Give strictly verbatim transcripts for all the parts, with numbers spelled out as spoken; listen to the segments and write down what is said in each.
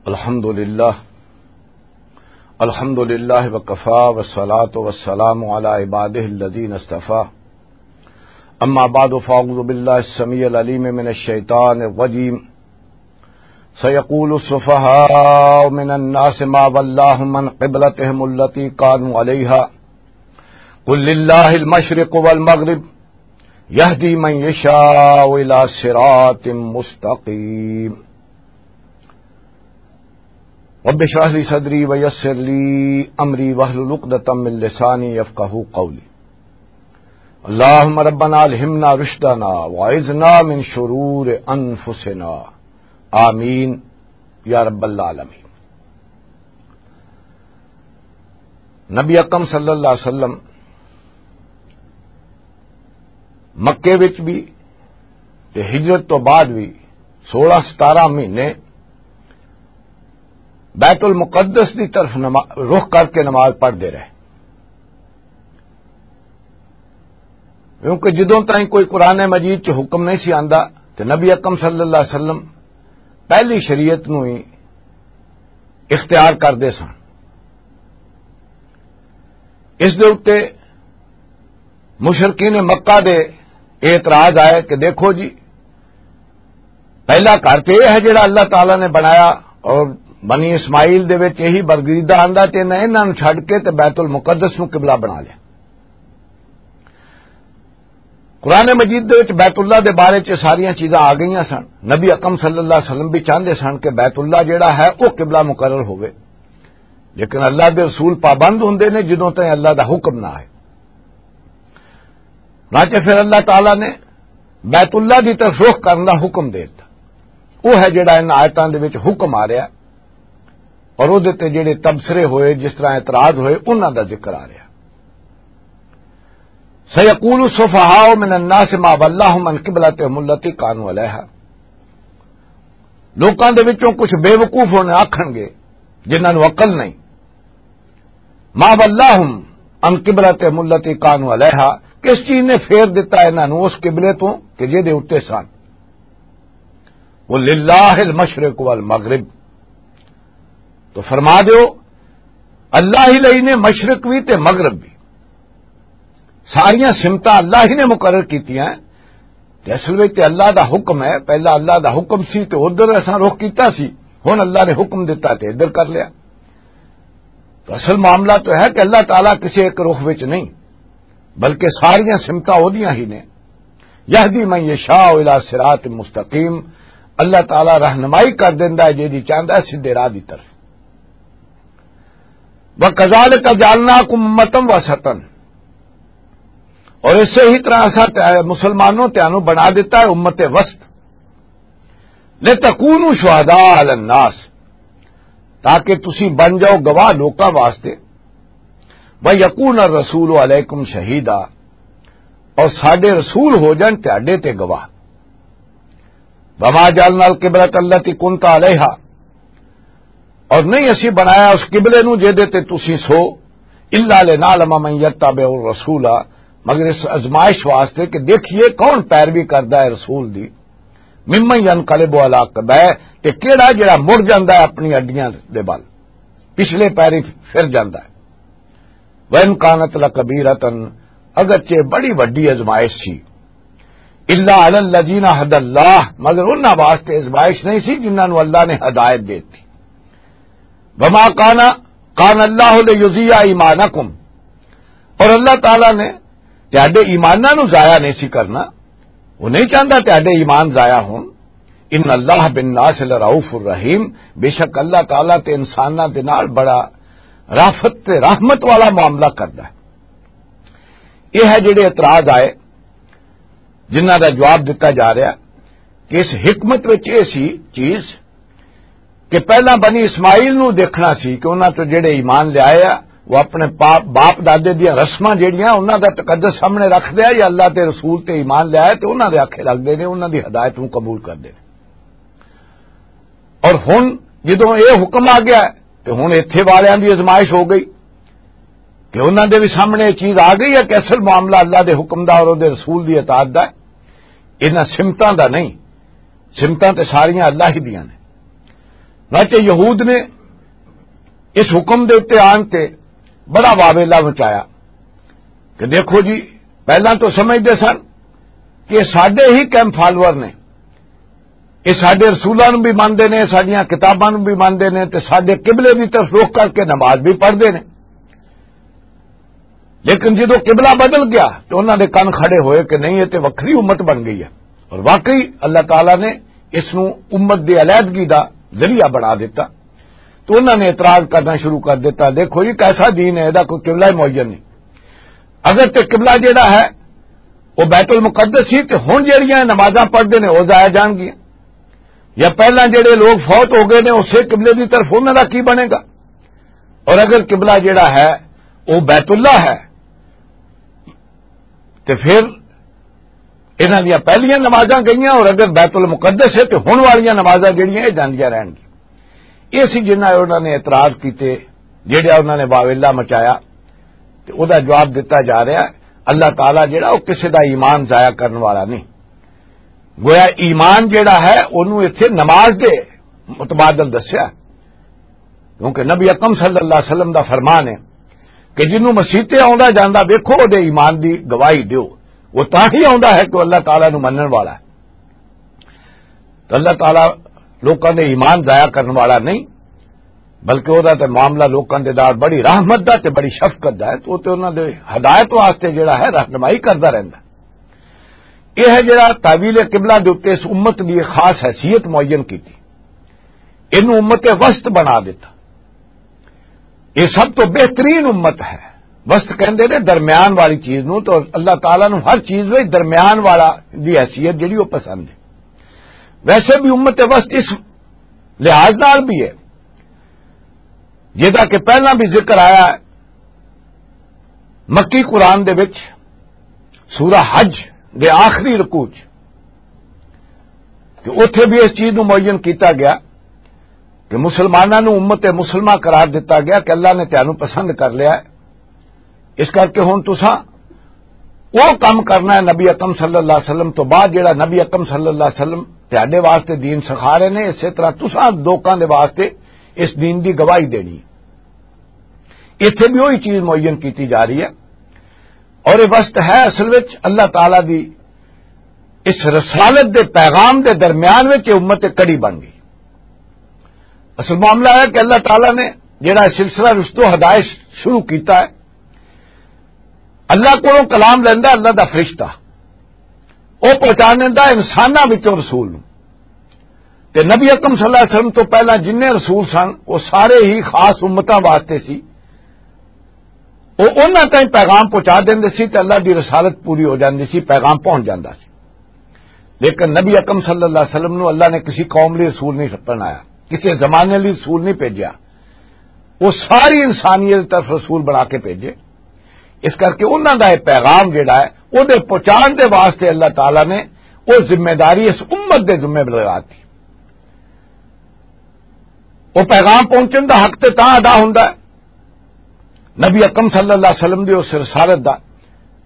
الحمد لله. الحمد لله وكفى، والصلاة والسلام على عباده الذين اصطفى. أما بعد، فأعوذ بالله السميع العليم من الشيطان الرجيم. سيقول السفهاء من الناس ما ولاهم عن قبلتهم التي كانوا عليها. قل لله المشرق والمغرب، يهدي من يشاء إلى صراط مستقيم. رب اشرح لي صدري ويسر لي أمري واحلل عقدة من لساني يفقهوا قولي. اللهم ربنا ألهمنا رشدنا وأعذنا من شرور أنفسنا. آمين يا رب العالمين. نبی اکرم صلی اللہ علیہ وسلم مکے وچ بھی تے ہجرت تو بعد بھی سولہ ستارہ مہینے بیت المقدس دی طرف نما-، رخ کر کے نماز پڑھتے رہے، کیونکہ جدوں تائیں کوئی قرآن مجید چ حکم نہیں سی آندا، تے نبی اکرم صلی اللہ علیہ وسلم پہلی شریعت نو ہی اختیار کردے سن۔ اس دے اُتے مشرکین مکہ دے اعتراض آئے کہ دیکھو جی، پہلا گھر تے یہ ہے جڑا اللہ تعالیٰ نے بنایا، اور بنی اسماعیل دے وچ یہی برگزیدہ آندا تے انہاں، انہاں نوں چھڈ کے تے بیت المقدس نوں قبلہ بنا لیا۔ قرآن مجید دے وچ بیت اللہ دے بارے چ ساریاں چیزاں آ گئیاں سن۔ نبی اکرم صلی اللہ علیہ وسلم بھی چاہندے سن کہ بیت اللہ جڑا ہے، وہ قبلہ مقرر ہوئے، لیکن اللہ دے رسول پابند ہوندے نے جدوں تائیں اللہ دا حکم نہ آئے۔ نہ کہ پھر اللہ تعالیٰ نے بیت اللہ دی طرف رخ کرن دا حکم دے دتا۔ وہ ہے جڑا ان آیتاں دے وچ حکم آ رہا، اور وہ دے تے جڑے تبصرے ہوئے، جس طرح اعتراض ہوئے، انہاں دا ذکر آ رہا۔ سَيَقُولُ السُّفَهَاءُ مِنَ النَّاسِ مَا وَلَّاهُمْ عَنْ قِبْلَتِهِمُ الَّتِي كَانُوا عَلَيْهَا۔ لوکاں دے وچوں کچھ بے وقوف ہونے آکھن گے، جنہاں نوں عقل نہیں، مَا وَلَّاهُمْ عَنْ قِبْلَتِهِمُ الَّتِي كَانُوا عَلَيْهَا، کس چیز نے پھیر دتا انہاں نوں اس قبلے تو کہ جے دے اُتے سن؟ وہ للہ المشرق والمغرب، تو فرما دیو، اللہ ہی لئی نے مشرق بھی تے مغرب بھی، ساریاں سمتاں اللہ ہی نے مقرر کیتیاں۔ تے اصل وچ تے اللہ دا حکم ہے، پہلا اللہ دا حکم سی تے ادھر اساں رخ کیتا سی، ہن اللہ نے حکم دتا تے ادھر کر لیا۔ تو اصل معاملہ تو ہے کہ اللہ تعالیٰ کسی ایک رخ وچ نہیں، بلکہ ساریاں سمتاں اودیاں ہی نے۔ یہدی من یشاء الی صراط مستقیم، اللہ تعالیٰ رہنمائی کر دیندا ہے جیدی چاہندا ہے سیدھے راہ دی طرف۔ وَكَذَلِكَ جَعَلْنَاكُمْ أُمَّةً وَسَطًا، اور اسے ہی طرح اساں تے مسلمانوں تیانوں بنا دیتا ہے امت وسط، لِتَكُونُوا شُهَدَاءَ عَلَى النَّاسِ، تاکہ تسی بن جاؤ گواہ لوکاں واسطے، وَيَكُونَ الرَّسُولُ عَلَيْكُمْ شَهِيدًا، اور ساڈے رسول ہو جان تہاڈے تے گواہ۔ وَمَا جَعَلْنَا الْقِبْلَةَ الَّتِي كُنْتَ عَلَيْهَا، اور نہیں اسی بنایا اس قبلے نو جے دے تے تسی سو، إِلَّا لِنَعْلَمَ مَن يَتَّبِعُ الرَّسُولَ، مگر اس ازمائش واسطے کہ دیکھیے کون پیروی کردا ہے رسول دی، مِمَّن يَنْقَلِبُ عَلَى عَقِبَيْهِ، تے کیڑا جڑا مڑ جاندا ہے اپنی اڈیاں دے بل، پچھلے پیری پھر جاندا ہے۔ وَإِنْ كَانَتْ لَكَبِيرَةً، اگرچہ بڑی وڈی ازمائش سی، إِلَّا عَلَى الَّذِينَ هَدَى اللَّهُ، مگر انہاں واسطے ازمائش نہیں سی جنہاں نوں اللہ نے ہدایت دے دتی۔ وَمَا كَانَ، كَانَ اللَّهُ لِيُضِيعَ إِيمَانَكُمْ، اور اللہ تعالیٰ نے تہاڈے ایماناں نوں ضائع نہیں سی کرنا، وہ نہیں چاہندا تہاڈے ایمان ضائع ہون۔ إِنَّ اللَّهَ بِالنَّاسِ لَرَءُوفٌ رَحِيمٌ، بے شک اللہ تعالیٰ تے انساناں دے نال بڑا رافت تے رحمت والا معاملہ کردا ہے۔ یہ ہے جڑے اعتراض آئے، جنہاں دا جواب دتا جا رہا کہ اس حکمت وچ یہ سی چیز کہ پہلا بنی اسماعیل نو دیکھنا سی کہ انہاں تو جڑے ایمان لے آئے آ، وہ اپنے پاپ، باپ دادے دیاں رسماں جڑیاں انہاں دا تقدس سامنے رکھ دیا، یا اللہ تے رسول تے ایمان لے آئے تے انہاں دے آکھے لگ دے نے، انہاں دی ہدایت نو قبول کر دے نے۔ اور ہن جدوں یہ حکم آ گیا ہے، تے ہن ایتھے والیاں دی ازمائش ہو گئی کہ انہاں دے بھی سامنے یہ چیز آ گئی ہے کہ اصل معاملہ اللہ دے حکم دا اور دے رسول دی اطاعت دا ہے، انہاں سمتاں دا نہیں۔ سمتاں تے ساریاں اللہ ہی دیاں نے۔ واچے یہود نے اس حکم دے اُتے آن تے بڑا واویلا مچایا کہ دیکھو جی، پہلاں تو سمجھدے سن کہ ساڈے ہی کیمپ فالوور نے، یہ ساڈے رسولاں نوں بھی مانتے نے، ساڈیاں کتاباں نوں بھی مانتے نے، تے ساڈے قبلے دی طرف رخ کر کے نماز بھی پڑھتے نے۔ لیکن جدوں قبلہ بدل گیا تو انہاں دے کن کھڑے ہوئے کہ نہیں، یہ تے وکھری امت بن گئی ہے۔ اور واقعی اللہ تعالیٰ نے اس نوں امت دی علیحدگی دا ذریعہ بنا دیتا۔ تو انہاں نے اعتراض کرنا شروع کر دیتا، دیکھو یہ کیسا دین ہے، دا کوئی قبلہ ہی معین نہیں۔ اگر تے قبلہ جڑا ہے وہ بیت المقدس سی، تے ہن جڑیاں نمازاں پڑھدے نے وہ ضائع جان گیاں، یا پہلاں جڑے لوگ فوت ہو گئے نے اسے قبلے دی طرف، انہاں دا کی بنے گا؟ اور اگر قبلہ جڑا ہے وہ بیت اللہ ہے، تے پھر انہاں دیاں پہلیاں نمازاں گئیاں، اور اگر بیت المقدس ہے تے ہن والیاں نمازاں جڑیاں یہ جاندیاں رہن گیاں۔ یہ سی جنہاں انہاں نے اعتراض کیتے، جڑا انہاں نے واویلا مچایا، تے او دا جواب دتا جا رہا ہے، اللہ تعالیٰ جڑا وہ کسے دا ایمان ضائع کرن والا نہیں۔ گویا ایمان جڑا ہے، انہوں اتھے نماز دے متبادل دسیا، کیونکہ نبی اکرم صلی اللہ علیہ وسلم دا فرمان ہے کہ جنوں مسیح تے آوندا جاندا ویکھو، او دے ایمان دی گواہی دیو۔ وہ تاں ہی آوندا ہے کہ اللہ تعالیٰ نوں منن والا ہے۔ تو اللہ تعالیٰ لوکاں دے ایمان ضائع کرن والا نہیں، بلکہ وہ تے معاملہ لوکاں دے نال بڑی رحمت دا تے بڑی شفقت دا ہے۔ تو وہ تے انہاں دے ہدایت واسطے جڑا ہے، رہنمائی کردا رہندا۔ یہ ہے جڑا تحویل قبلہ دے اُتے اس امت دی ایک خاص حیثیت معین کیتی، اینوں امت وسط بنا دیتا۔ یہ سب تو بہترین امت ہے۔ وسط کہندے نے درمیان والی چیز نوں، تو اللہ تعالیٰ نوں ہر چیز وچ درمیان والا دی حیثیت جڑی وہ پسند ہے۔ ویسے بھی امت وسط اس لحاظ نال بھی ہے، جدا کہ پہلا بھی ذکر آیا ہے مکی قرآن دے وچ سورہ حج دے آخری رکوع چ، کہ اوتھے بھی اس چیز نوں معین کیتا گیا کہ مسلماناں نوں امت مسلمہ قرار دتا گیا کہ اللہ نے تانوں پسند کر لیا ہے۔ اس کر کے ہن تساں وہ کام کرنا ہے نبی اکرم صلی اللہ علیہ وسلم تو بعد، جڑا نبی اکرم صلی اللہ علیہ وسلم تہاڈے واسطے دین سکھا رہے نے، اسی طرح تساں لوکاں دے واسطے اس دین دی گواہی دینی ہے۔ اتھے بھی وہی چیز معین کیتی جا رہی ہے۔ اور یہ وسط ہے اصل وچ اللہ تعالیٰ دی اس رسالت دے پیغام دے درمیان وچ یہ امت کڑی بن گئی۔ اصل معاملہ ہے کہ اللہ تعالیٰ نے جڑا سلسلہ رشتو ہدایت شروع کیتا ہے، اللہ کولوں کلام لیندا اللہ دا فرشتہ، وہ پہنچانے دا انساناں وچوں رسول نوں۔ تے نبی اکرم صلی اللہ علیہ وسلم تو پہلا جنہیں رسول سن، وہ سارے ہی خاص امتاں واسطے سی۔ وہ انہاں تائیں پیغام پہنچا دیندے سی تے اللہ دی رسالت پوری ہو جاندی سی، پیغام پہنچ جاندا سی۔ لیکن نبی اکرم صلی اللہ علیہ وسلم نو اللہ نے کسی قوم لئی رسول نہیں بنایا، کسی زمانے لئی رسول نہیں بھیجیا۔ وہ ساری انسانیت دی طرف رسول بنا کے بھیجے۔ اس کر کے انہاں دا یہ پیغام جڑا ہے، وہ دے پہنچان دے واسطے اللہ تعالیٰ نے وہ ذمہ داری اس امت دے ذمہ لگا دی۔ وہ پیغام پہنچن دا حق تے تاں ادا ہوندا ہے نبی اکرم صلی اللہ علیہ وسلم دی اس رسالت دا،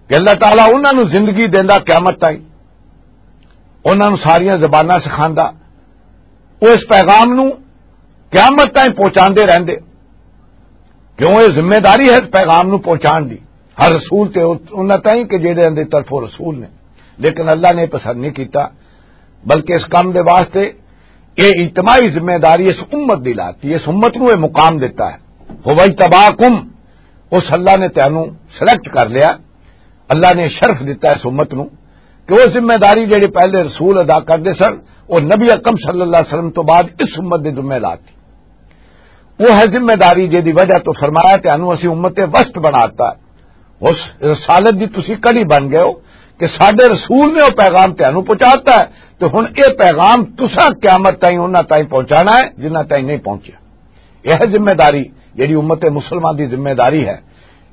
کہ اللہ تعالیٰ انہاں نوں زندگی دیندا قیامت تائیں، انہاں نوں ساریاں زباناں سکھاندا، وہ اس پیغام نوں قیامت تائیں پہنچاندے رہندے۔ کیوں؟ یہ ذمہ داری ہے اس پیغام نوں پہنچان دی ہر رسول تے انہاں تائیں کہ جہدے اندر طرفوں رسول نے۔ لیکن اللہ نے پسند نہیں کیتا، بلکہ اس کام دے واسطے یہ اجتماعی ذمہ داری اس امت دی لاتی، اس امت نوں یہ مقام دیتا ہے۔ فوجتباکم، اس اللہ نے تینوں سلیکٹ کر لیا، اللہ نے شرف دیتا ہے اس امت نوں کہ وہ ذمہ داری جڑی پہلے رسول ادا کردے سن، وہ نبی اکرم صلی اللہ علیہ وسلم تو بعد اس امت دے ذمہ لاتی۔ وہ ہے ذمہ داری جس دی وجہ تو فرمایا کہ انہوں اسی امت وسط بناتا ہے۔ اس رسالت دی تسی کڑی بن گئے ہو کہ ساڈے رسول نے وہ پیغام تینوں پہنچاتا ہے، تو ہن یہ پیغام تساں قیامت تائیں انہاں تائیں پہنچانا ہے جنہاں تائیں نہیں پہنچیا۔ یہ ہے ذمہ داری جڑی امت مسلمہ دی ذمہ داری ہے،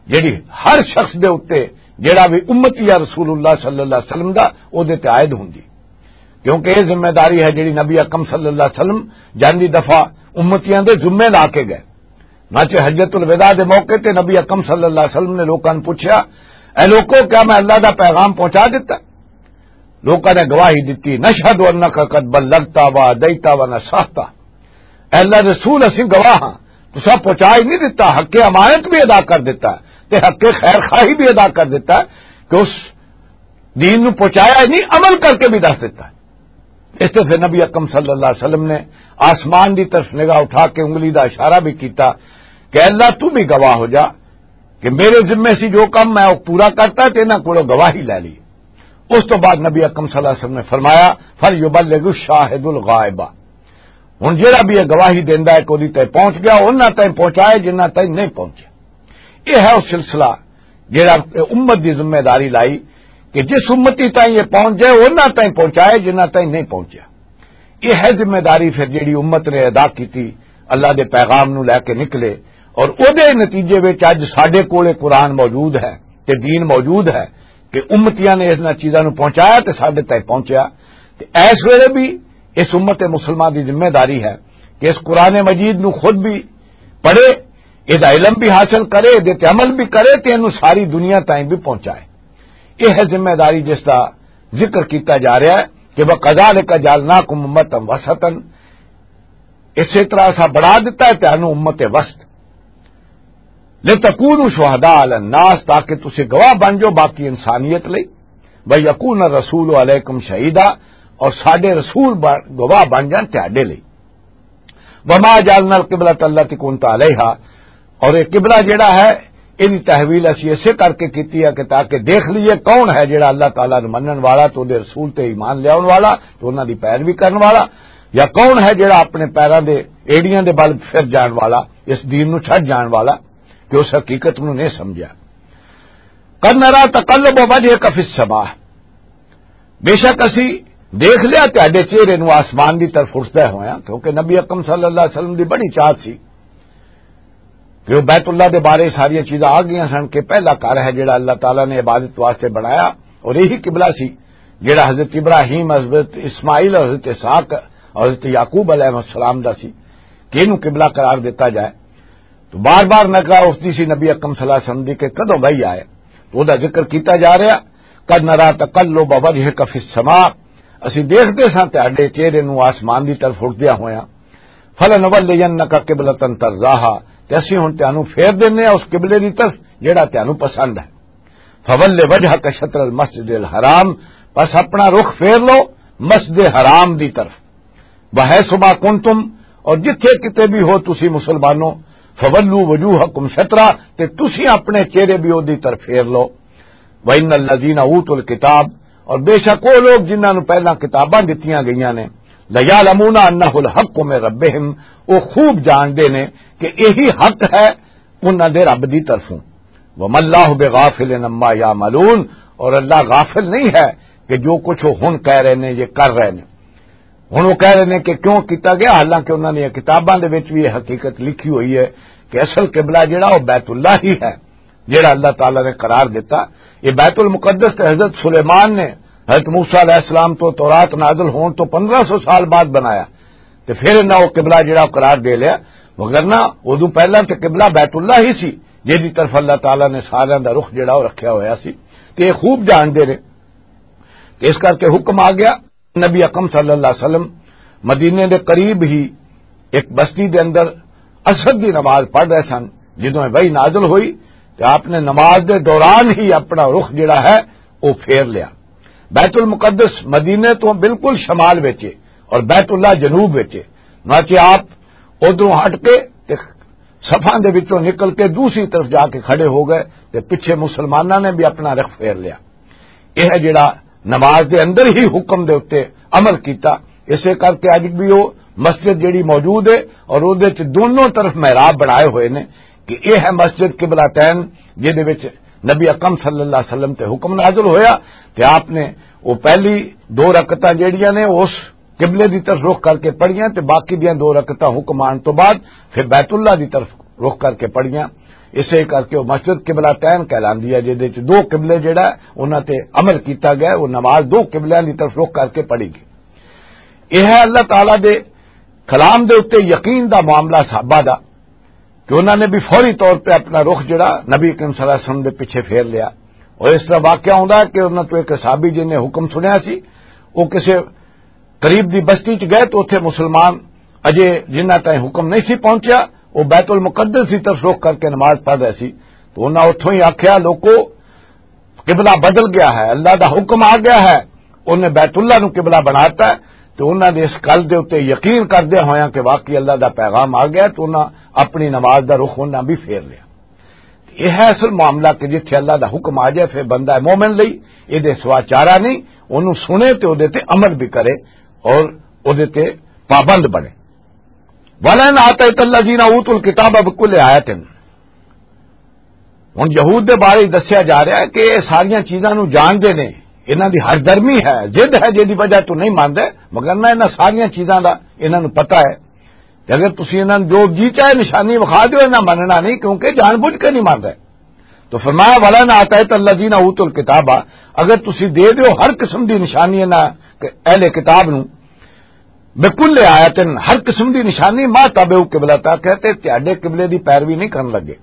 جڑی ہر شخص دے اُتے جڑا بھی امتی یا رسول اللہ صلی اللہ علیہ وسلم دا، او دے تے عائد ہوندی۔ کیونکہ یہ ذمہ داری ہے جڑی نبی اکرم صلی اللہ علیہ وسلم جاندی دفعہ امتیاں دے ذمے لا کے گئے۔ ناچے حجت الوداع دے موقع تے نبی اکرم صلی اللہ علیہ وسلم نے لوکاں نوں پوچھیا، "اے لوکو، کیا میں اللہ دا پیغام پہنچا دتا؟" لوکاں نے گواہی دتی، "نشہد انک قد بلغتا و ادیتا و نصحتا۔" اے اللہ رسول، اسی گواہ ہاں، تساں پہنچا ہی نہیں دیتا، حق امانت بھی ادا کر دیتا، تے حق خیر خواہی بھی ادا کر دیتا، کہ اس دین نو پہنچایا ہی نہیں، عمل کر کے بھی دس دیتا۔ اس تے پھر نبی اکرم صلی اللہ علیہ وسلم نے آسمان دی طرف نگاہ اٹھا کے انگلی دا اشارہ بھی کیتا کہ اللہ، تو بھی گواہ ہو جا کہ میرے ذمے سی جو کم میں وہ پورا کرتا، تے انہاں کولوں گواہی لے لی۔ اس تو بعد نبی اکرم صلی اللہ علیہ وسلم نے فرمایا، فَلْيُبَلِّغِ الشَّاهِدُ الْغَائِبَ۔ ہن جیڑا بھی یہ گواہی دیندا ہے کہ اوہدی تائیں پہنچ گیا، انہاں تائیں پہنچائے جنہاں تائیں نہیں پہنچیا۔ یہ ہے وہ سلسلہ جیڑا امت دی ذمہ داری لائی کہ جس امتی تائیں یہ پہنچ جائے، انہاں تائیں پہنچائے جنہاں تائیں نہیں پہنچیا۔ یہ ہے ذمہ داری پھر جیڑی امت نے ادا کیتی، اللہ دے پیغام نو لے کے نکلے، اور اودے نتیجے وچ اج ساڈے کولے قرآن موجود ہے تے دین موجود ہے کہ امتیاں نے انہاں چیزاں نو پہنچایا تے ساڈے تائیں پہنچیا۔ تے اس ویلے بھی اس امت مسلمہ دی ذمہ داری ہے کہ اس قرآن مجید نو خود بھی پڑھے، اس دا علم بھی حاصل کرے، دے تے عمل بھی کرے تے اینو ساری دنیا تائیں بھی پہنچائے۔ یہ ہے ذمہ داری جس دا ذکر کیتا جا رہا ہے کہ وَكَذَلِكَ جَعَلْنَاكُمْ أُمَّةً وَسَطًا، اسی طرح اسا بنا دیتا ہے تانوں امت وسط، لِتَكُونُوا شُهَدَاءَ عَلَى النَّاسِ، تاکہ تسی گواہ بن جاؤ باقی انسانیت لئی، وَيَكُونَ الرَّسُولُ عَلَيْكُمْ شَهِيدًا، اور ساڈے رسول بن- گواہ بن جان تہاڈے لئی۔ وَمَا جَعَلْنَا الْقِبْلَةَ الَّتِي كُنْتَ عَلَيْهَا، اور یہ قبلہ جڑا ہے، ان تحویل اسی اسے کر کے کیتی ہے کہ تاکہ دیکھ لئیے کون ہے جڑا اللہ تعالیٰ نو منن والا تو دے رسول تے ایمان لیاون والا، تو انہاں دی پیروی کرن والا، یا کون ہے جڑا اپنے پیراں دے ایڑیاں دے بل پھر جان والا، اس دین نو چھڈ جان والا، کہ اس حقیقت نو نہیں سمجھیا۔ قد نرى تقلب وجهك في السماء، بے شک اسی دیکھ لیا تہاڈے چہرے نو آسمان دی طرف اٹھدا ہویا، کیونکہ نبی اکرم صلی اللہ علیہ وسلم دی بڑی چاہت سی کہ وہ بیت اللہ دے بارے ساری چیزاں آ گئیاں سن کہ پہلا گھر ہے جڑا اللہ تعالیٰ نے عبادت واسطے بنایا، اور یہی قبلہ سی جڑا حضرت ابراہیم، حضرت اسماعیل، حضرت اسحاق اور حضرت یعقوب علیہ السلام دا سی کہ اینو قبلہ قرار دیتا جائے۔ تو بار بار نگاہ اٹھدی سی نبی اکرم صلی اللہ علیہ وسلم دی کہ کدوں وحی آئے۔ تو او دا ذکر کیتا جا رہا، "قد نرى تقلب وجهك في السماء"، اسی دیکھدے ساں تہاڈے چہرے نوں آسمان دی طرف اٹھدیا ہویا۔ "فلنولينك قبلة ترضاها"، تے اسی ہن تانوں پھیر دینے آں اس قبلے دی طرف جڑا تانوں پسند ہے۔ "فول وجهك شطر المسجد الحرام"، بس اپنا رخ پھیر لو مسجد حرام دی طرف۔ "وحيث ما كنتم"، اور جتھے کتے بھی ہو تسی مسلمانوں، "فولوا وجوهكم شطره"، تے تسی اپنے چہرے بھی اودی طرف پھیر لو۔ "وان الذين اوتوا الكتاب"، اور بے شک وہ لوگ جنہاں نوں پہلاں کتاباں دتیاں گئیاں نے، "ليعلمون انه الحق من ربهم"، وہ خوب جاندے نے کہ یہی حق ہے انہاں دے رب دی طرفوں۔ "وما الله بغافل عما يعملون"، اور اللہ غافل نہیں ہے کہ جو کچھ وہ ہن کہہ رہے نے، یہ کر رہے نے۔ ہن وہ کہہ رہے نے کہ کیوں کیتا گیا، حالانکہ انہاں نے کتاباں دے وچ بھی یہ حقیقت لکھی ہوئی ہے کہ اصل قبلہ جڑا وہ بیت اللہ ہی ہے، جڑا اللہ تعالیٰ نے قرار دیتا۔ یہ بیت المقدس تے حضرت سلیمان نے حضرت موسیٰ علیہ السلام تو تورات نازل ہون تو پندرہ سو سال بعد بنایا، تے پھر انہاں وہ قبلہ جڑا وہ قرار دے لیا، وگرنہ ادوں پہلاں تے قبلہ بیت اللہ ہی سی، جس دی طرف اللہ تعالیٰ نے ساریاں دا رخ جڑا وہ رکھیا ہویا سی۔ تے یہ خوب جاندے نے، تے اس کر کے حکم آ گیا۔ نبی اکرم صلی اللہ علیہ وسلم مدینے دے قریب ہی ایک بستی دے اندر عصر دی نماز پڑھ رہے سن، جدوں یہ وحی نازل ہوئی تے آپ نے نماز دے دوران ہی اپنا رخ جڑا ہے وہ پھیر لیا۔ بیت المقدس مدینے تو بالکل شمال وچ ہے اور بیت اللہ جنوب وچ ہے۔ ناچے آپ ادھروں ہٹ کے تے صفاں دے وچوں نکل کے دوسری طرف جا کے کھڑے ہو گئے تے پچھے مسلماناں نے بھی اپنا رخ پھیر لیا۔ یہ ہے جڑا نماز دے اندر ہی حکم دے اتے عمل کیتا۔ اسے کر کے اج بھی وہ مسجد جڑی موجود ہے اور اودے چ دونوں طرف محراب بنائے ہوئے نے کہ یہ ہے مسجد قبلہ تین، جہدے وچ نبی اکرم صلی اللہ علیہ وسلم تے حکم نازل ہویا تے آپ نے وہ پہلی دو رکعتاں جڑیاں نے اس قبلے دی طرف رخ کر کے پڑھیاں تے باقی دیاں دو رکعتاں حکم آن تو بعد پھر بیت اللہ دی طرف رخ کر کے پڑھیاں۔ اسے کر کے وہ مسجد قبلہ تین کہلاندی ہے، جہدے وچ دو قبلے جڑا ہے، انہاں تے عمل کیتا گیا ہے، وہ نماز دو قبلیاں دی طرف رخ کر کے پڑھی گئی۔ یہ ہے اللہ تعالیٰ دے کلام دے اتے یقین دا معاملہ صحابہ دا، کہ انہاں نے بھی فوری طور پہ اپنا رخ جڑا نبی کریم صلی اللہ علیہ وسلم دے پیچھے پھیر لیا۔ اور اس طرح واقعہ ہوندا ہے کہ انہاں تو ایک صحابی جن نے حکم سنیا سی، وہ کسے قریب دی بستی چ گئے تو اتھے مسلمان اجے جنہ تائیں حکم نہیں سی پہنچیا، وہ بیت المقدس کی طرف رخ کر کے نماز پڑھ رہے سی۔ تو انہاں اتھوں ہی آکھیا، "لوکو، قبلہ بدل گیا ہے، اللہ دا حکم آ گیا ہے۔" انہیں بیت اللہ نو قبلہ بناتا ہے۔ تو انہاں نے اس گل دے اُتے یقین کردے ہویاں کہ واقعی اللہ دا پیغام آ گیا ہے، تو انہاں اپنی نماز دا رخ انہاں بھی پھیر لیا۔ یہ ہے اصل معاملہ کہ جتھے اللہ دا حکم آ جائے، پھر بندہ مومن لئی یہ دے سوا چارہ نہیں، انہوں سنے تے او دے تے عمل بھی کرے اور او دے تے پابند بنے۔ "ولئن آتیت الذین اوتوا الکتاب بکل آیۃ۔" ہن یہود دے بارے دسیا جا رہا ہے کہ یہ ساریاں چیزاں نو جانتے نے، انہاں دی ہر درمی ہے، ضد ہے، جس دی وجہ تو نہیں مانتے، مگر نہ انہاں ساریاں چیزاں دا انہاں نو پتہ ہے۔ تے اگر تسی انہاں نوں جو جی چاہے نشانی وکھا دیو، انہاں مننا نہیں، کیونکہ جان بوجھ کے نہیں مان رہے۔ تو فرمایا، "ولا نہ آتا ہے تو اللہ جی نہ اوتو الکتاب"، اگر تسی دے دیو ہر قسم دی نشانی انہاں اہل کتاب نوں، بکل آیتن، ہر قسم دی نشانی، ما تابعو قبلہ تا، کہتے تیاڈے قبلے دی پیروی نہیں کرن لگے۔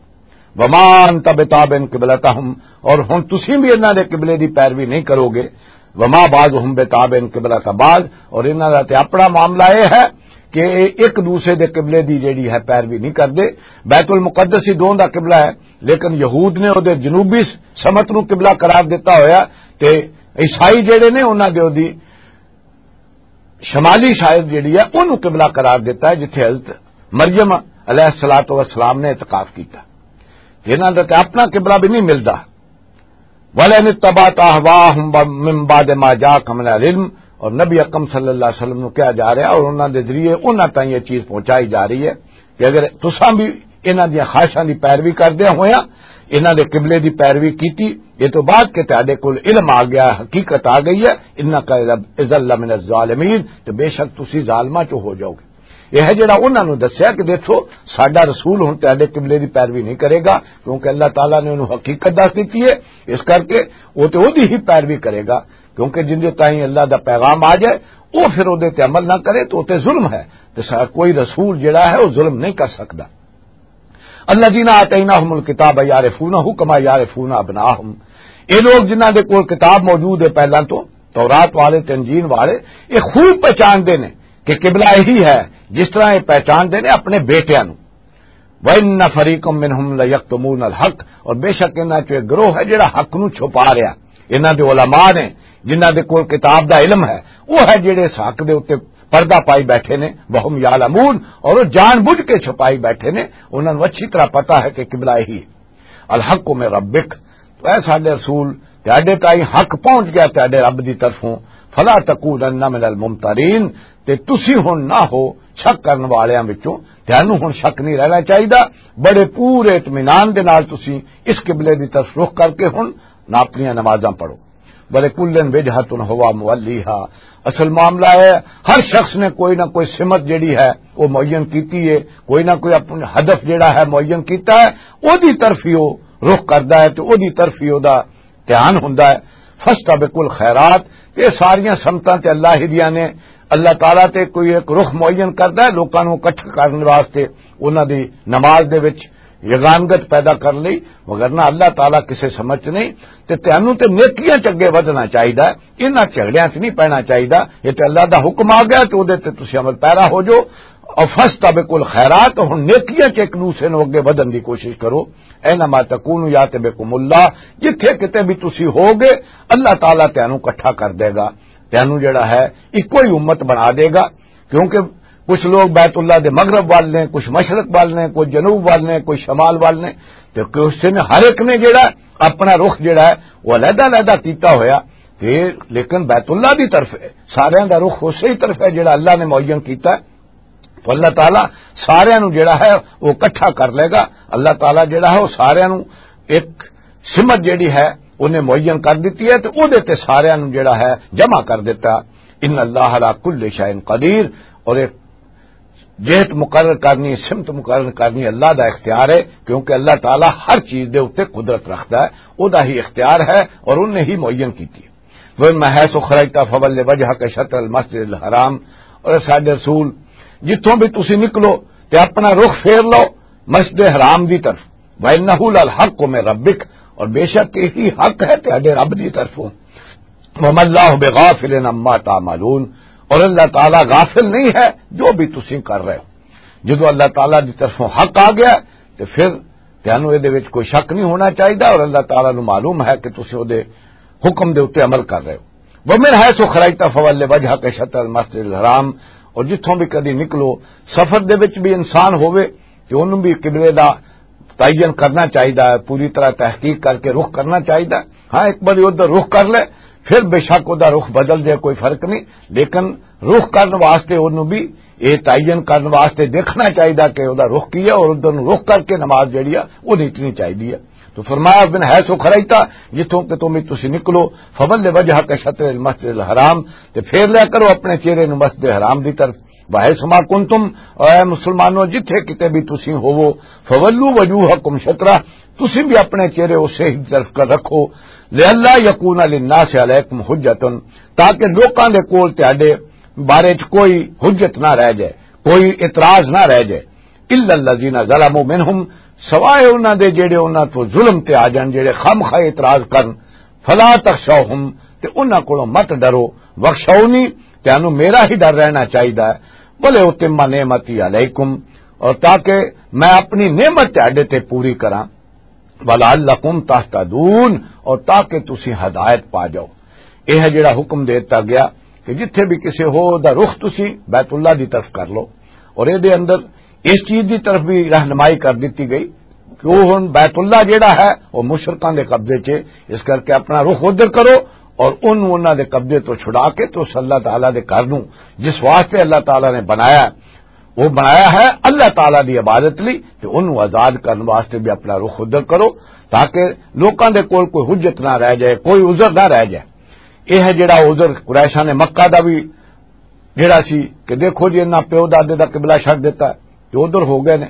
وما انت بتابع قبلتہم، اور ہن تسی بھی انہاں دے قبلے دی پیروی نہیں کرو گے۔ وما بعضهم بتابع قبلۃ بعض، اور انہاں دا تے اپنا معاملہ یہ ہے کہ یہ ایک دوسرے دے قبلے دی جیڑی ہے پیروی نہیں کردے۔ بیت المقدس ہی دونوں دا قبلہ ہے، لیکن یہود نے او دے جنوبی سمت نو قبلہ قرار دیتا ہویا، تے عیسائی جیڑے نے انہاں دے او دی شمالی شاید جیڑی ہے انہوں قبلہ قرار دیتا ہے، جتھے حضرت مریم علیہ الصلوۃ والسلام نے اعتکاف کیتا۔ تے انہاں دا تے اپنا قبلہ بھی نہیں ملدا۔ "ولئن اتبعت اهواءهم من بعد ما جاءك من العلم"، اور نبی اکرم صلی اللہ علیہ وسلم نو کہا جا رہا ہے اور انہاں دے ذریعے انہاں تائیں یہ چیز پہنچائی جا رہی ہے کہ اگر تساں بھی انہاں دیاں خواہشاں دی پیروی کردے ہویاں انہاں دے قبلے دی پیروی کیتی، یہ تو بعد کہ تہاڈے کول علم آ گیا، حقیقت آ گئی ہے، "انک اذا لمن الظالمین"، تو بے شک تسی ظالماں چوں ہو جاؤ گے۔ یہ ہے جڑا انہاں نوں دسیا کہ دیکھو، ساڈا رسول ہن تہاڈے قبلے دی پیروی نہیں کرے گا، کیونکہ اللہ تعالیٰ نے انہوں حقیقت دس دتی ہے، اس کر کے وہ تے اودی ہی پیروی کرے گا، کیونکہ جن دے تائیں اللہ دا پیغام آ جائے، وہ پھر اودے تے عمل نہ کرے تو وہ تے ظلم ہے۔ تے سا-، کوئی رسول جڑا ہے وہ ظلم نہیں کر سکدا۔ الذین آتیناہم الکتاب یعرفونہ کما یعرفون ابناہم، یہ لوگ جنہاں دے کول کتاب موجود ہے پہلاں تو، تورات والے تے انجیل والے، یہ خوب پہچاندے نے کہ قبلہ یہی ہے جس طرح یہ پہچاندے نے اپنے بیٹیاں نوں۔ وَإِنَّ فَرِيقًا مِّنْهُمْ لَيَكْتُمُونَ الْحَقَّ، اور بے شک انہاں چوں ایک گروہ ہے جڑا حق نوں چھپا رہا۔ انہاں دے علماء نے جنہاں دے کول کتاب دا علم ہے، وہ ہے جڑے اس حق دے اُتے پردہ پائی بیٹھے نے، وَهُمْ يَعْلَمُونَ، اور وہ جان بوجھ کے چھپائی بیٹھے نے، انہاں نوں اچھی طرح پتہ ہے کہ قبلہ یہی ہے۔ الحق من ربک، تو اے ساڈے رسول، تہاڈے تائیں حق پہنچ گیا تہاڈے رب دی طرفوں، فلا تکونن من الممترین، تے تسی ہن نہ ہو شک کرن والیاں وچوں، تہانوں ہن شک نہیں رہنا چاہیدا۔ بڑے پورے اطمینان دے نال تسی اس قبلے دی طرف رخ کر کے ہن نہ اپنیاں نمازاں پڑھو۔ بلے کلن وجہۃ ہوا مولیہا، اصل معاملہ ہے ہر شخص نے کوئی نہ کوئی سمت جڑی ہے وہ معین کیتی ہے، کوئی نہ کوئی اپنا ہدف جڑا ہے معین کیتا ہے، او دی طرف ہی وہ رخ کردا ہے تے او دی طرف ہی او دا دھیان ہوندا ہے۔ فاستبقوا الخیرات، یہ ساریاں سمتاں تے اللہ ہی دیاں نے۔ اللہ تعالیٰ تے کوئی ایک رخ معین کردا ہے لوکاں نوں اکٹھا کرن واسطے، انہاں دی نماز دے وچ یگانگت پیدا کر لئی، مگر نہ اللہ تعالیٰ کسے سمجھ نہیں۔ تے تینوں تے نیکیاں چ اگے ودھنا چاہیدا ہے، انہاں جھگڑیاں چ نہیں پینا چاہیدا۔ یہ تے اللہ دا حکم آ گیا تے اودے تے تسی عمل پیرا ہو جو۔ اور فاستبقوا الخیرات، ہن نیکیاں چ ایک دوسرے نوں اگے ودھن دی کوشش کرو۔ اینما تکونوا یات بکم اللہ، جتھے کتے بھی تسی ہو گے، اللہ تعالیٰ تینوں اکٹھا کر دے گا، تینوں جڑا ہے ایکو ہی امت بنا دے گا۔ کیونکہ کچھ لوگ بیت اللہ دے مغرب وال نے، کچھ مشرق وال نے، کچھ جنوب وال نے، کچھ شمال وال نے، تے کچھ نے، ہر ایک نے جڑا اپنا رخ جڑا ہے وہ علیحدہ علیحدہ کیتا ہویا۔ تے لیکن بیت اللہ دی طرف ہے، سارے دا رخ اسی طرف ہے جڑا اللہ نے معین کیتا ہے۔ تو اللہ تعالیٰ سارے نو جڑا ہے وہ اکٹھا کر لے گا۔ اللہ تعالیٰ جڑا ہے وہ سارے نو ایک سمت جڑی ہے انہیں معین کر دیتی ہے، تو او دے تے سارے نو جڑا ہے جمع کر دیتا۔ ان اللہ علی کل شیء قدیر، اور ایک جہت مقرر کرنی، سمت مقرر کرنی اللہ دا اختیار ہے، کیونکہ اللہ تعالیٰ ہر چیز دے اُتے قدرت رکھدا ہے، او دا ہی اختیار ہے اور انہیں ہی معین کیتی ہے۔ وَمِنْ حَيْثُ خَرَجْتَ فَوَلِّ وَجْهَكَ شَطْرَ الْمَسْجِدِ الْحَرَامِ، اور اے ساڈے رسول، جتھوں بھی تسی نکلو تے اپنا رخ پھیر لو مسجد حرام دی طرف۔ وَإِنَّهُ لَلْحَقُّ مِنْ رَبِّكَ، اور بے شک یہی حق ہے تہاڈے رب دی طرفوں۔ وَمَا اللَّهُ بِغَافِلٍ عَمَّا تَعْمَلُونَ، اور اللہ تعالیٰ غافل نہیں ہے جو بھی تسی کر رہے ہو۔ جدوں اللہ تعالیٰ دی طرفوں حق آ گیا، تے پھر تانوں اے دے وچ کوئی شک نہیں ہونا چاہیدا، اور اللہ تعالیٰ نوں معلوم ہے کہ تسی او دے حکم دے اُتے عمل کر رہے ہو۔ وَمِنْ حَيْثُ خَرَجْتَ فَوَلِّ وَجْهَكَ شَطْرَ الْمَسْجِدِ الْحَرَامِ، اور جتھوں بھی کدی نکلو، سفر دے وچ بھی انسان ہووے، تے انہوں بھی قبلے دا تعین کرنا چاہیدا ہے، پوری طرح تحقیق کر کے رخ کرنا چاہیدا ہے۔ ہاں، ایک بار ادھر رخ کر لے، پھر بے شک ادا رخ بدل جائے، کوئی فرق نہیں، لیکن رخ کرن واسطے انہوں بھی یہ تعین کرن واسطے دیکھنا چاہیدا کہ ادا رخ کی ہے، اور ادھر نوں رخ کر کے نماز جڑی ہے، وہ نیتنی چاہیدی ہے۔ تو فرمایا، "من حیث خرجت"، جتھوں کہ تم تسی نکلو، "فول وجهک شطر المسجد الحرام"، تے پھیر لیا کرو اپنے چہرے نوں مسجد حرام دی طرف۔ "وحیث ما کنتم"، اے مسلمانوں، جتھے کتے بھی تسی ہوو، "فولوا وجوہکم شطرہ"، تسی بھی اپنے چہرے اسے ہی طرف کر رکھو، "لئلا یکون للناس علیکم حجۃ"، تاکہ لوکاں دے کول تہاڈے بارے چ کوئی حجت نہ رہ جائے، کوئی اعتراض نہ رہ جائے۔ "الا الذین ظلموا منہم"، سوائے انہاں دے جڑے انہاں تو ظلم تے آ جان، جڑے خامخواہ اعتراض کرن، "فلا تخشوہم"، تے انہاں کولوں مت ڈرو، "واخشونی"، تانوں میرا ہی ڈر رہنا چاہیدا ہے، "ولاتم نعمتی علیکم"، اور تاکہ میں اپنی نعمت تہاڈے تے پوری کراں، "ولعلکم تہتدون"، اور تاکہ تسی ہدایت پا جاؤ۔ یہ ہے جڑا حکم دیتا گیا کہ جتھے بھی کسے ہو دا رخ تسی بیت اللہ دی طرف کر لو، اور اے دے اندر اس چیز دی طرف بھی رہنمائی کر دتی گئی کہ وہ ہن بیت اللہ جڑا ہے، وہ مشرکاں دے قبضے چ، اس کر کے اپنا رخ ادھر کرو اور انہوں انہاں دے قبضے تو چھڑا کے تو اس اللہ تعالیٰ دے گھر نوں، جس واسطے اللہ تعالیٰ نے بنایا، وہ بنایا ہے اللہ تعالیٰ دی عبادت لئی، تے انہوں آزاد کرن واسطے بھی اپنا رخ ادھر کرو، تاکہ لوکاں دے کول کوئی حجت نہ رہ جائے، کوئی عذر نہ رہ جائے۔ یہ ہے جڑا عذر قریشاں نے مکہ دا بھی جڑا سی کہ دیکھو جی، انہاں پیو دادے دا قبلہ چھڈ دتا، جو ادھر ہو گئے نے۔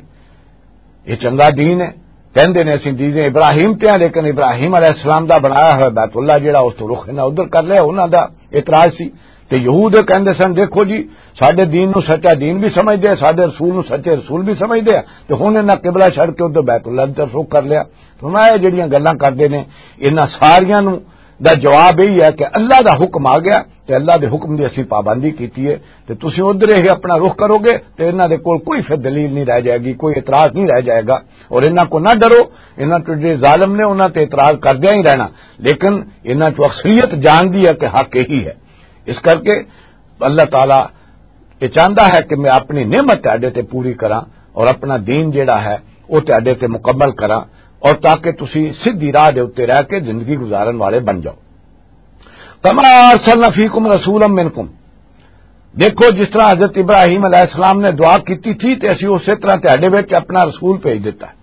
یہ چنگا دین ہے، کہندے نے اسی دین ابراہیم تے ہیں، لیکن ابراہیم علیہ السلام دا بنایا ہویا بیت اللہ جڑا، اس تو رخ انہاں ادھر کر لیا، انہاں دا اعتراض سی۔ تے یہود کہندے سن، "دیکھو جی، ساڈے دین نو سچا دین بھی سمجھدے ہیں، ساڈے رسول نو سچے رسول بھی سمجھدے ہیں، تے ہن انہاں قبلہ چھڈ کے ادھر بیت اللہ دی طرف رخ کر لیا۔" فرمایا، یہ جڑیاں گلاں کردے نے، انہاں ساریاں نو دا جواب یہی ہے کہ اللہ دا حکم آ گیا تے اللہ دے حکم دی اسی پابندی کیتی ہے، تے تسی ادھر ہی اپنا رخ کرو گے تے انہاں دے کول کوئی پھر دلیل نہیں رہ جائے گی، کوئی اعتراض نہیں رہ جائے گا۔ اور انہاں کو نہ ڈرو، انہاں تو جے ظالم نے انہاں تے اعتراض کردیاں ہی رہنا، لیکن انہاں چوں اکثریت جاندی ہے کہ حق یہی ہے۔ اس کر کے اللہ تعالیٰ یہ چاہتا ہے کہ میں اپنی نعمت تہاڈے تے پوری کراں اور اپنا دین جڑا ہے وہ تہاڈے تے مکمل کراں، اور تاکہ تسی سیدھی راہ دے اُتے رہ کے زندگی گزارن والے بن جاؤ۔ "کما ارسلنا فیکم رسولا منکم"، دیکھو جس طرح حضرت ابراہیم علیہ السلام نے دعا کیتی تھی تے اسی اسی طرح تہاڈے وچ اپنا رسول بھیج دیتا ہے،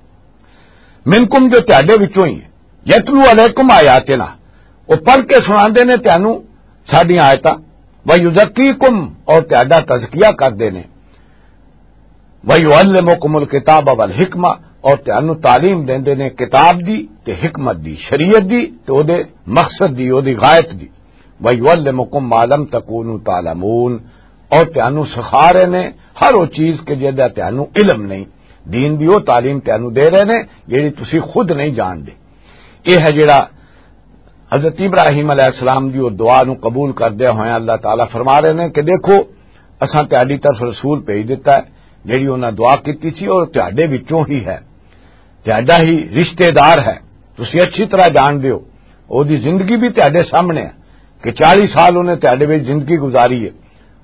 منکم، جو تہاڈے وچوں ہی ہے، یتلو علیکم آیاتنا، وہ پڑھ کے سناندے نے تانوں ساڈیاں آیتاں، ویزکیکم، اور تہاڈا تزکیہ کردے نے، ویعلمکم الکتاب والحکمہ، اور تانوں تعلیم دیندے نے کتاب دی تے حکمت دی، شریعت دی تے او دے مقصد دی، او دی غایت دی، ویعلمکم ما لم تکونوا تعلمون، اور تانوں سکھا رہے نے ہر وہ چیز کہ جہدا تانوں علم نہیں، دین دی وہ تعلیم تانوں دے رہے نے جہڑی تسی خود نہیں جان دے۔ یہ ہے جڑا حضرت ابراہیم علیہ السلام دی وہ دعا نو قبول کردیا ہویا اللہ تعالیٰ فرما رہے نے کہ دیکھو، اساں تہاڈی طرف رسول بھیج دیتا ہے، جڑی انہاں دعا کیتی سی، اور تہاڈے وچوں ہی ہے، تہاڈا ہی رشتہ دار ہے، تسی اچھی طرح جان دیو، او دی زندگی بھی تہاڈے سامنے ہے کہ چالیس سال انہیں تہاڈے وچ زندگی گزاری ہے،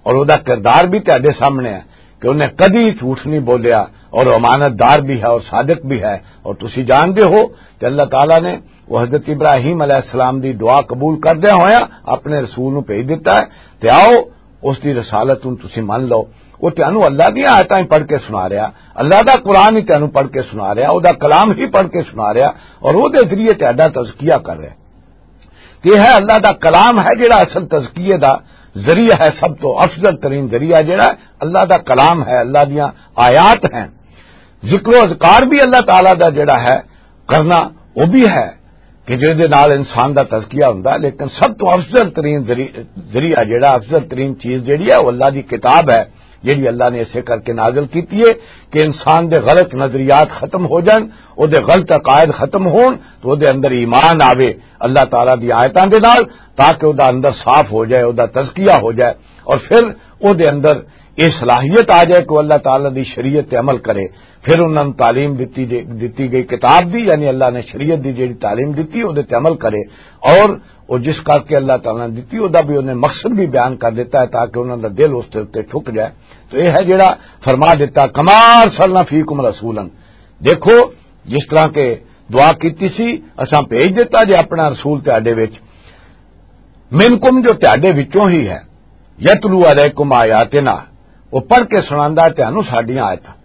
اور او دا کردار بھی تہاڈے سامنے ہے کہ انہیں کدی جھوٹ نہیں بولیا، اور امانت دار بھی ہے اور صادق بھی ہے۔ اور تسی جان دے ہو کہ اللہ تعالیٰ نے وہ حضرت ابراہیم علیہ السلام دی دعا قبول کردیا ہویا اپنے رسول نو بھیج دیتا ہے، تے آؤ، اس دی رسالت نوں تسی من لو۔ وہ تانوں اللہ دیاں آیتاں ہی پڑھ کے سنا رہا، اللہ دا قرآن ہی تانوں پڑھ کے سنا رہا، او دا کلام ہی پڑھ کے سنا رہا، اور او دے ذریعے تہاڈا تزکیہ کر رہا۔ کہ یہ ہے اللہ دا کلام ہے جڑا اصل تزکیے دا ذریعہ ہے، سب تو افضل ترین ذریعہ جڑا ہے اللہ دا کلام ہے، اللہ دیاں آیات ہیں۔ ذکر و اذکار بھی اللہ تعالیٰ دا جڑا ہے کرنا، وہ بھی ہے کہ جس دے نال انسان دا تزکیہ ہوندا ہے، لیکن سب تو افضل ترین ذری-، ذریعہ جڑا، افضل ترین چیز جڑی ہے، وہ اللہ دی کتاب ہے۔ جیڑی اللہ نے اسے کر کے نازل کیتی ہے کہ انسان دے غلط نظریات ختم ہو جان، او دے غلط عقائد ختم ہون، تو او دے اندر ایمان آوے اللہ تعالیٰ دی آیتاں دے نال، تاکہ او دا اندر صاف ہو جائے، او دا تزکیہ ہو جائے، اور پھر او دے اندر یہ صلاحیت آ جائے کہ وہ اللہ تعالیٰ دی شریعت تے عمل کرے۔ پھر انہاں نوں تعلیم دتی جے-، دتی گئی کتاب دی، یعنی اللہ نے شریعت دی جیڑی تعلیم دتی، او دے تے عمل کرے، اور او جس کر کے اللہ تعالیٰ نے دتی، او دا بھی انہیں مقصد بھی بیان کر دیتا ہے، تاکہ انہاں دا دل اس دے اُتے ٹھک جائے۔ تو یہ ہے جیڑا فرما دیتا، "کما ارسلنا فیکم رسولا۔" دیکھو، جس طرح کہ دعا کیتی سی، اساں بھیج دیتا جے اپنا رسول تہاڈے وچ، "منکم"، جو تہاڈے وچوں ہی ہے، "یتلو علیکم آیاتنا"، وہ پڑھ کے سناندا ہے تہانوں ساڈیاں آیتاں۔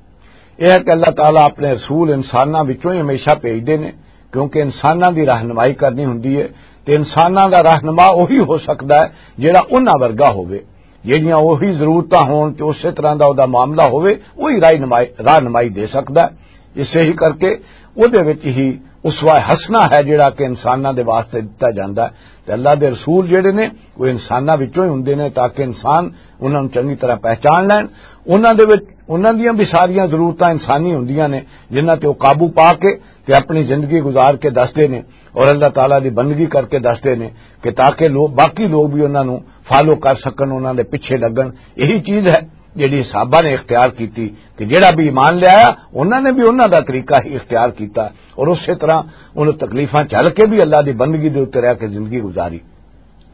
یہ ہے کہ اللہ تعالیٰ اپنے رسول انساناں وچوں ہی ہمیشہ بھیجدے نے، کیونکہ انساناں دی رہنمائی کرنی ہوندی ہے، تے انساناں دا رہنما وہی ہو سکدا ہے جیڑا انہاں ورگا ہووے، جیڑیاں وہی ضرورتاں ہون تے اسی طرح دا او دا معاملہ ہووے، وہی رہنمائی، رہنمائی دے سکدا ہے۔ اسے ہی کر کے او دے وچ ہی اسوہ حسنہ ہے جیڑا کہ انساناں دے واسطے دتا جاندا ہے۔ تے اللہ دے رسول جیڑے نے، وہ انساناں وچوں ہی ہوندے نے، تاکہ انسان انہاں نوں چنگی طرح پہچان لین۔ انہاں دے وچ، انہاں دیاں بھی ساریاں ضرورتاں انسانی ہوندیاں نے، جنہاں تے وہ قابو پا کے تے اپنی زندگی گزار کے دسدے نے، اور اللہ تعالیٰ دی بندگی کر کے دسدے نے، کہ تاکہ لوگ، باقی لوگ بھی انہاں نوں فالو کر سکن، انہاں دے پیچھے لگن۔ یہی چیز ہے جیڑی صحابہ نے اختیار کیتی، کہ جیڑا بھی ایمان لے آیا، انہاں نے بھی انہاں دا طریقہ ہی اختیار کیتا، اور اسی طرح انہوں تکلیفاں جھل کے بھی اللہ دی بندگی دے اُتے رہ کے زندگی گزاری۔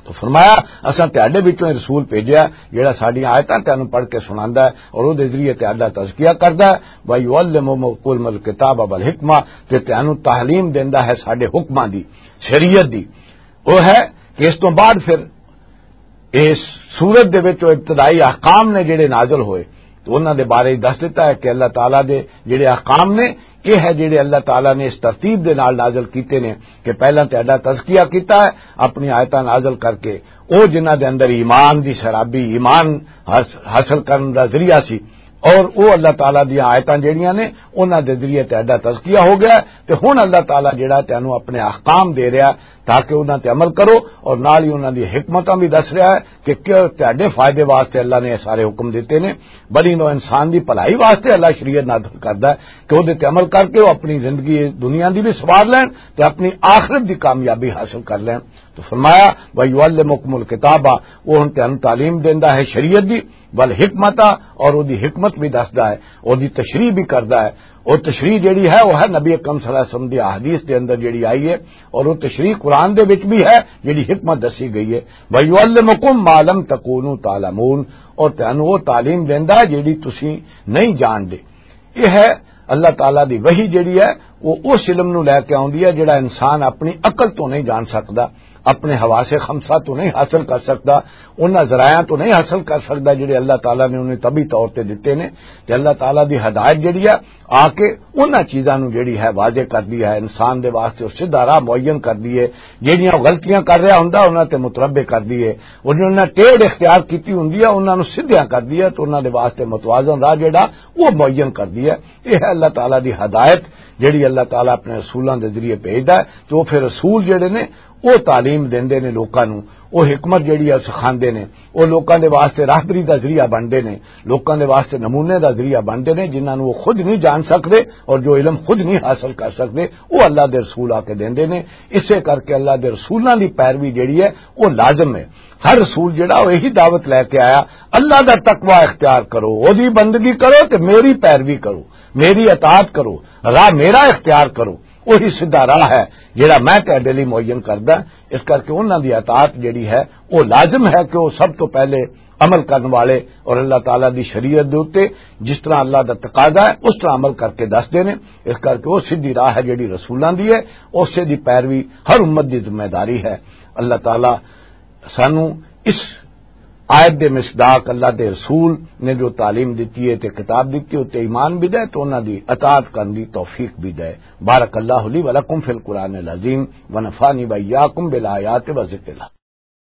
تو فرمایا، "اساں تہاڈے وچوں ہی رسول بھیجیا، جیڑا ساڈیاں آیتاں تانوں پڑھ کے سناندا ہے اور او دے ذریعے تہاڈا تزکیہ کردا ہے، وَيُعَلِّمُكُمُ الْكِتَابَ وَالْحِكْمَةَ"، تے تانوں تعلیم دیندا ہے ساڈے حکماں دی، شریعت دی۔" وہ ہے کہ اس تو بعد پھر اس سورت دے وچ وہ ابتدائی احکام نے جڑے نازل ہوئے، تو انہاں دے بارے ہی دس دیتا ہے کہ اللہ تعالیٰ دے جڑے احکام نے، یہ ہے جڑے اللہ تعالیٰ نے اس ترتیب دے نال نازل کیتے نے کہ پہلاں تہاڈا تزکیہ کیتا ہے، اپنی آیتاں نازل کر کے، او جنہاں دے اندر ایمان دی سرابی، ایمان حاص-، حاصل کرن دا ذریعہ سی، اور او اللہ تعالیٰ دیاں آیتاں جڑیاں نے، انہاں دے ذریعے تہاڈا تزکیہ ہو گیا ہے۔ تے ہن اللہ تعالیٰ جڑا تینوں اپنے احکام دے رہا ہے تاکہ انہاں تے عمل کرو، اور نال ہی انہاں دی حکمتاں بھی دس رہا ہے کہ کیا تہاڈے فائدے واسطے اللہ نے یہ سارے حکم دیتے نے۔ بنی نوع انسان دی بھلائی واسطے اللہ شریعت نازل کردا ہے کہ او دے تے عمل کر کے او اپنی زندگی دنیا دی بھی سوار لین تے اپنی آخرت دی کامیابی حاصل کر لین۔ تو فرمایا، "وَيُعَلِّمُكُمُ الْكِتَابَ"، وہ ہن تینوں تعلیم دیندا ہے شریعت دی، "وَالْحِكْمَةَ"، اور او دی حکمت بھی دسدا ہے، او دی تشریح بھی کردا ہے۔ او تشریح جڑی ہے، وہ ہے نبی اکرم صلی اللہ علیہ وسلم دی احادیث دے اندر جڑی آئی ہے، اور وہ تشریح قرآن دے وچ بھی ہے، جڑی حکمت دسی گئی ہے۔ "وَيُعَلِّمُكُم مَّا لَمْ تَكُونُوا تَعْلَمُونَ"، اور تینوں وہ تعلیم دیندا ہے جڑی تسی نہیں جان دے۔ یہ ہے اللہ تعالیٰ دی وحی جڑی ہے، وہ اس علم نو لے کے آوندی ہے جڑا انسان اپنی عقل تو نہیں جان سکدا، اپنے حواس خمسہ تو نہیں حاصل کر سکدا، انہاں ذرائعاں تو نہیں حاصل کر سکدا جڑے اللہ تعالیٰ نے انہیں طبی طور تے دتے نے۔ تے اللہ تعالیٰ دی ہدایت جڑی ہے، آ کے انہاں چیزاں نو جڑی ہے واضح کر دی ہے، انسان دے واسطے اور سیدھا راہ معین کر دی ہے۔ جڑیاں وہ غلطیاں کر رہا ہوندا، انہاں تے متربع کر دی ہے، اور جنہاں ٹیڑھ اختیار کیتی ہوندی ہے، انہاں نو سیدھیاں کر دی ہے، تو انہاں دے واسطے متوازن راہ جڑا، وہ معین کر دی ہے۔ یہ ہے اللہ تعالیٰ دی ہدایت، جڑی اللہ تعالیٰ اپنے رسولاں دے ذریعے بھیجدا ہے، تو پھر رسول جڑے نے، وہ تعلیم دیندے نے لوکاں نو، وہ حکمت جڑی ہے سکھاندے نے، وہ لوکاں دے واسطے راہبری دا ذریعہ بنتے نے، لوکاں دے واسطے نمونے دا ذریعہ بنتے نے، جنہاں نو وہ خود نہیں جان سکدے اور جو علم خود نہیں حاصل کر سکدے، وہ اللہ دے رسول آ کے دیندے نے۔ اسے کر کے اللہ دے رسولاں دی پیروی جڑی ہے، وہ لازم ہے۔ ہر رسول جڑا، وہ یہی دعوت لے کے آیا، "اللہ دا تقوی اختیار کرو، او دی بندگی کرو تے میری پیروی کرو، میری اطاعت کرو، راہ میرا اختیار کرو، وہی سیدھا راہ ہے جڑا میں تہاڈے لئی معین کردا۔" اس کر کے انہاں دی اطاعت جڑی ہے، وہ لازم ہے کہ وہ سب تو پہلے عمل کرن والے اور اللہ تعالیٰ دی شریعت دے اُتے جس طرح اللہ دا تقاضا ہے، اس طرح عمل کر کے دس دینے۔ اس کر کے وہ سیدھی راہ ہے جڑی رسولاں دی ہے، اسے دی پیروی ہر امت دی ذمہ داری ہے۔ اللہ تعالیٰ سانو اس آیت دے مصداق اللہ دے رسول نے جو تعلیم دتی ہے تے کتاب دتی ہے، تے ایمان بھی دے، تو انہاں دی اطاعت کرن دی توفیق بھی دے۔ بارک اللہ لی و لکم فی القرآن العظیم و نفعنی و ایاکم بالآیات و ذکر الحکیم۔